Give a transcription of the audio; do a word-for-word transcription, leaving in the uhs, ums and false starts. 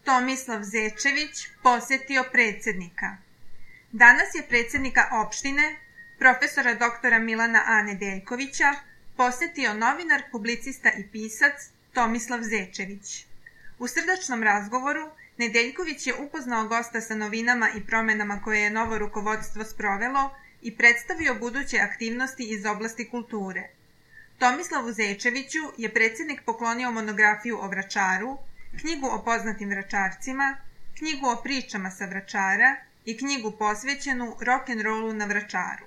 Tomislav Zečević posetio predsjednika. Danas je predsjednika opštine, profesora doktora Milana A. Nedeljkovića, posetio novinar, publicista i pisac Tomislav Zečević. U srdačnom razgovoru Nedeljković je upoznao gosta sa novinama i promenama koje je novo rukovodstvo sprovelo i predstavio buduće aktivnosti iz oblasti kulture. Tomislavu Zečeviću je predsjednik poklonio monografiju o Vračaru, knjigu o poznatim Vračarcima, knjigu o pričama sa Vračara i knjigu posvećenu rock'n'rollu na Vračaru.